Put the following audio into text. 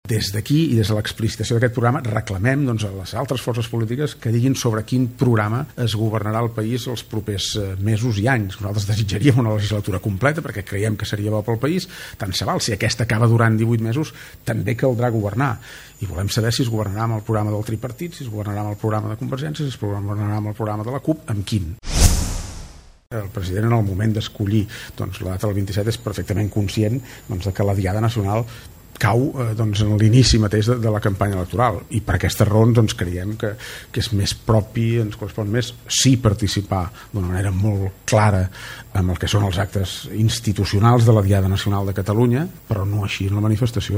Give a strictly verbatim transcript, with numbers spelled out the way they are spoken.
Des d'aquí i des de l'explicitació d'aquest programa reclamem doncs, a les altres forces polítiques que diguin sobre quin programa es governarà el país els propers mesos i anys. Nosaltres desitjaríem una legislatura completa perquè creiem que seria bo pel país, tant se val. Si aquesta acaba durant divuit mesos també caldrà governar i volem saber si es governarà amb el programa del tripartit, si es governarà amb el programa de Convergència, si es governarà amb el programa de la CUP, amb quin. El president en el moment d'escollir doncs, la data del vint-i-set és perfectament conscient doncs, de que la Diada Nacional cau eh, doncs, en l'inici mateix de, de la campanya electoral i per aquestes raons doncs, creiem que, que és més propi, ens correspon més sí participar d'una manera molt clara amb el que són els actes institucionals de la Diada Nacional de Catalunya, però no així en la manifestació.